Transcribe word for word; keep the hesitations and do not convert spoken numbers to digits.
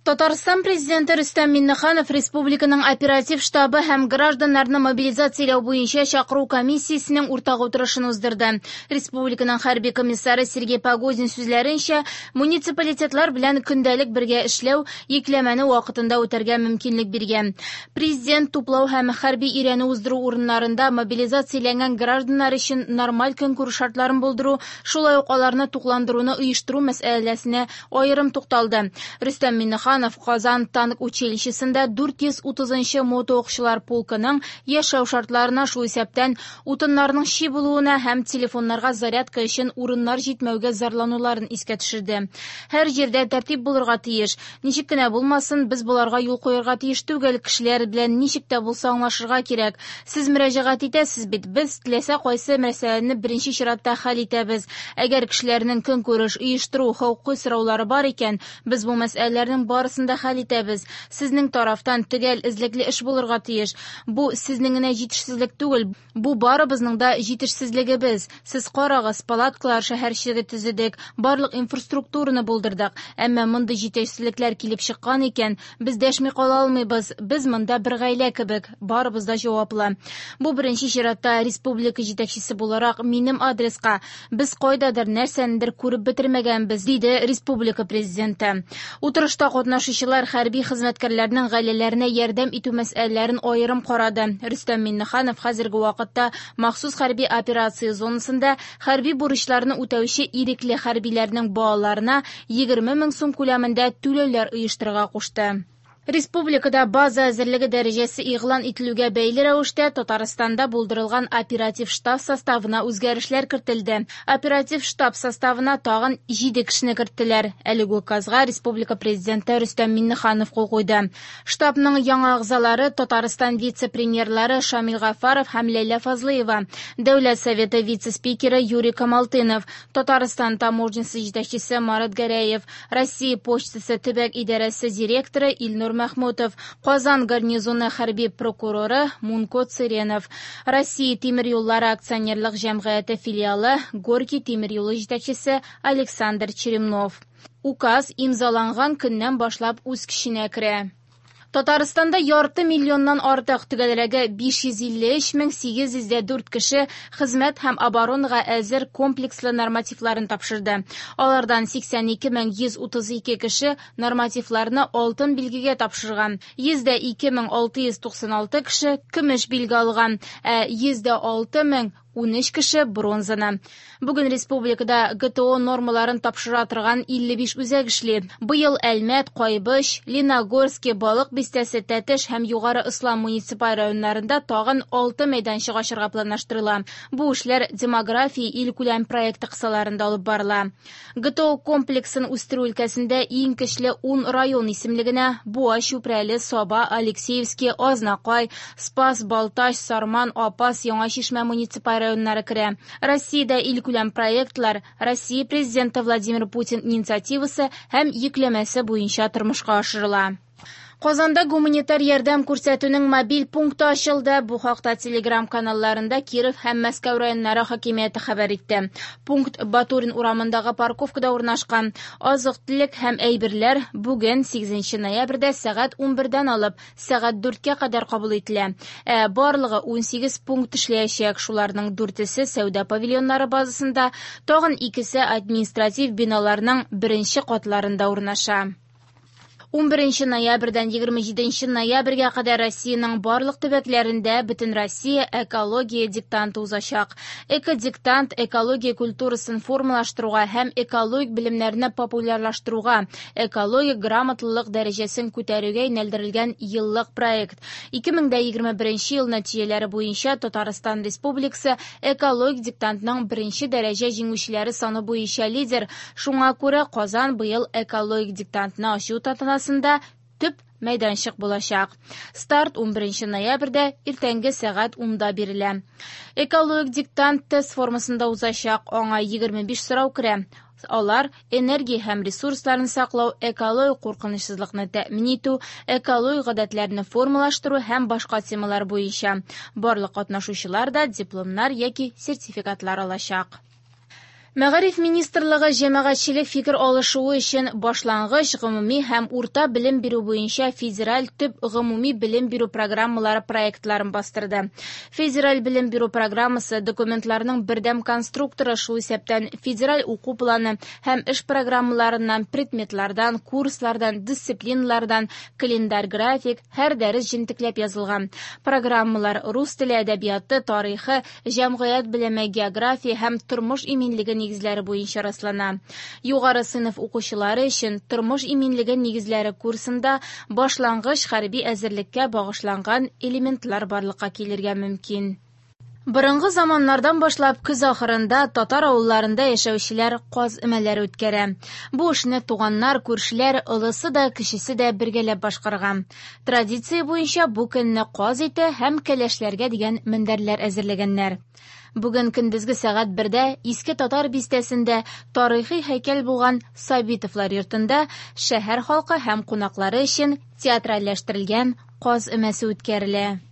Татарстан Президенты Рөстәм Миңнеханов республиканың оператив штабы һәм гражданнарны мобилизацияләү буенча чакыру комиссиясенең уртак утырышын уздырды. Республиканың хәрби комиссары Сергей Погозин сүзләренчә, муниципалитетлар белән көндәлек бергә эшләү йөкләмәне вакытында үтәргә мөмкинлек биргән. Президент туплау һәм хәрби өйрәнү уздыру урыннарында мобилизацияләнгән гражданнар өчен нормаль көнкүреш шартларын булдыру, шулай ук аларны тукландыруны оештыру мәсьәләсенә аерым тукталды. Рөстәм Миңнеханов Казан танк училищесында дүрт йөз утызынчы мотоукчылар полкының яшәү шартларына, шул исәптән утыннарның чи булуына һәм телефоннарга зарядка өчен урыннар җитмәүгә зарлануларын искә төшерде. Һәр җирдә тәртип булырга тиеш. Ничек кенә булмасын, без боларга юл куярга тиеш түгел. Кешеләр белән ничек тә булса аңлашырга кирәк. Сез мөрәҗәгать итәсез бит, без теләсә кайсы мәсьәләне беренче чиратта хәл итәбез. Әгәр кешеләрнең көнкүреш, оештыру, хокукый сораулары бар икән, без бу мәсьәләләрнең барысын да хәл итәбез. Сезнең тарафтан төгәл эзлекле эш булырга тиеш. Бу сезнең генә җитешсезлек түгел, бу барыбызның да җитешсезлегебез. Сез карагыз, палаткалар шәһәрчеге төзедек, барлык инфраструктураны булдырдык. Әмма мондый җитешсезлекләр килеп чыккан икән, без дәшми кала алмыйбыз. Без монда бер гаилә кебек, барыбыз да җаваплы. Бу беренче чиратта республика җитәкчесе буларак минем адреска. Без кайдадыр нәрсәнедер күреп бетермәгәнбез, диде республика президенты. Утырышта катнашучылар хәрби хезмәткәрләрнең гаиләләренә ярдәм итү мәсьәләләрен аерым карады. Рөстәм Миңнеханов хәзерге вакытта махсус хәрби операция зонасында хәрби бурычларны үтәүче ирекле хәрбиләрнең балаларына егерме мең сум күләмендә түләүләр оештырырга кушты. Республикада база әзерлеге дәрәҗәсе игълан ителүгә бәйле рәвештә Татарстанда булдырылган оператив штаб составына үзгәрешләр кертелде. Оператив штаб составына тагын җиде кешене керттеләр. Әлеге указга республика президенты Рөстәм Миңнеханов кул куйды. Штабның яңа әгъзалары Татарстан вице-премьерлары Шамил Гафаров һәм Ләйлә Фазлыева, Дәүләт Советы вице-спикеры Юрий Камалтынов, Татарстан таможнясы җитәкчесе Марат Гәрәев, Россия почтасы төбәк идарәсе директоры Илнур Махмутов, Казан гарнизоны хәрби прокуроры Мунко Цыренов, Россия тимер юллары акционерлык җәмгыяте филиалы Горький тимер юлы җитәкчесе Александр Черемнов. Указ имзаланган көннән башлап үз көченә керә. Татарстанда ярты миллионнан артык, төгәлрәге биш йөз илле өч мең сигез йөз дә дүрт кеше хезмәт һәм оборонага әзер комплекслы нормативларын тапшырды. Алардан сиксән ике мең йөз утыз ике кеше нормативларны алтын билгегә тапшырган. Йөз дә ике мең алты йөз туксан алты кеше көмеш билге алган, ә йөз дә алты мең унөч кеше бронзаны. Бүген республикада Г Т О нормаларын тапшыра торган илле биш үзәк эшли. Быел Әлмәт, Кайбыч, Леногорский, Балык Бистәсе, Тәтеш һәм Югары Ослан муниципаль районнарында тагын алты мәйданчык ачырга планлаштырыла. Бу эшләр демография илкүләм проекты кысаларында алып барыла. Г Т О комплексын үстерү өлкәсендә иң көчле ун район исемлегенә Буа, Чүпрәле, Саба, Алексеевский, Азнакай, Спас, Балтач, Сарман, Апас, Яңа Чишмә муниципаль районнары керә. Россиядә илкүләм проектлар Россия президенты Владимир Путин инициативасы һәм йөкләмәсе буенча тормышка ашырыла. Казанда гуманитар ярдәм күрсәтүнең мобиль пункты ачылды. Бу хакта Телеграм каналларында Киров һәм Мәскәү районнары хакимияте хәбәр итте. Пункт Батурин урамындагы парковкада урнашкан. Азык-төлек һәм әйберләр бүген сигезенче ноябрьдә сәгать унбердән алып сәгать дүрткә кадәр кабул ителә. Ә барлыгы унсигез пункт эшләячәк. Шуларның дүртесе сәүдә павильоннары базасында, тагын икесе административ биналарның беренче катларында урнаша. Унберенче ноябрьдән егерме җиденче ноябрьгә кадәр Россиянең барлык төбәкләрендә бөтен Россия экология диктанты узачак. Экодиктант экология культурасын формалаштыруга һәм экологик белемнәрне популярлаштыруга, экологик грамотлылык дәрәҗәсен күтәрүгә юнәлдерелгән еллык проект. Ике мең дә егерме беренче ел нәтиҗәләре буенча Татарстан Республикасы экологик диктантның беренче дәрәҗә җиңүчеләре саны буенча лидер. Шуңа күрә Казан быел экологик диктантны ачу тантанасында төп мәйданчык булачак. Старт унберенче ноябрьдә иртәнге сәгать унда бирелә. Экологик диктант тест формасында узачак. Аңа егерме биш сорау керә. Алар энергия һәм ресурсларын саклау, экологик куркынычсызлыкны тәэмин итү, экологик гадәтләрне формалаштыру һәм башка темалар буенча. Барлык катнашучылар да дипломнар яки сертификатлар алачак. Мәгариф министрлыгы җәмәгатьчелек фикер алышуы өчен башлангыч, гомуми һәм урта белем бирү буенча федераль төп гомуми белем бирү программалары проектларын бастырды. Федераль белем бирү программасы документларының бердәм конструкторы, шул исәптән федераль уку планы һәм эш программаларыннан, предметлардан, курслардан, дисциплиналардан, календарь график, һәр дәрес җентекләп язылган. Программалар рус теле, әдәбияты, тарихы, җәмгыять белеме, география һәм тормыш иминлеге нигезләре буенча раслана. Югары сыйныф укучылары өчен тормыш иминлеге нигезләре курсында башлангыч хәрби әзерлеккә багышланган элементлар барлыкка килергә мөмкин. Борынгы заманнардан башлап көз ахырында татар авылларында яшәүчеләр каз өмәләре үткәрә. Бу эшне туганнар, күршеләр, олысы да, кечесе дә бергәләп башкарган. Традиция буенча бу көнне каз ите һәм кәләшләргә дигән мендәрләр әзерләгәннәр. Бүген көндезге сәгать бердә Иске Татар бистәсендә тарихи һәйкәл булган Сабитовлар йортында шәһәр халкы һәм кунаклары өчен театральләштерелгән каз өмәсе үткәрелә.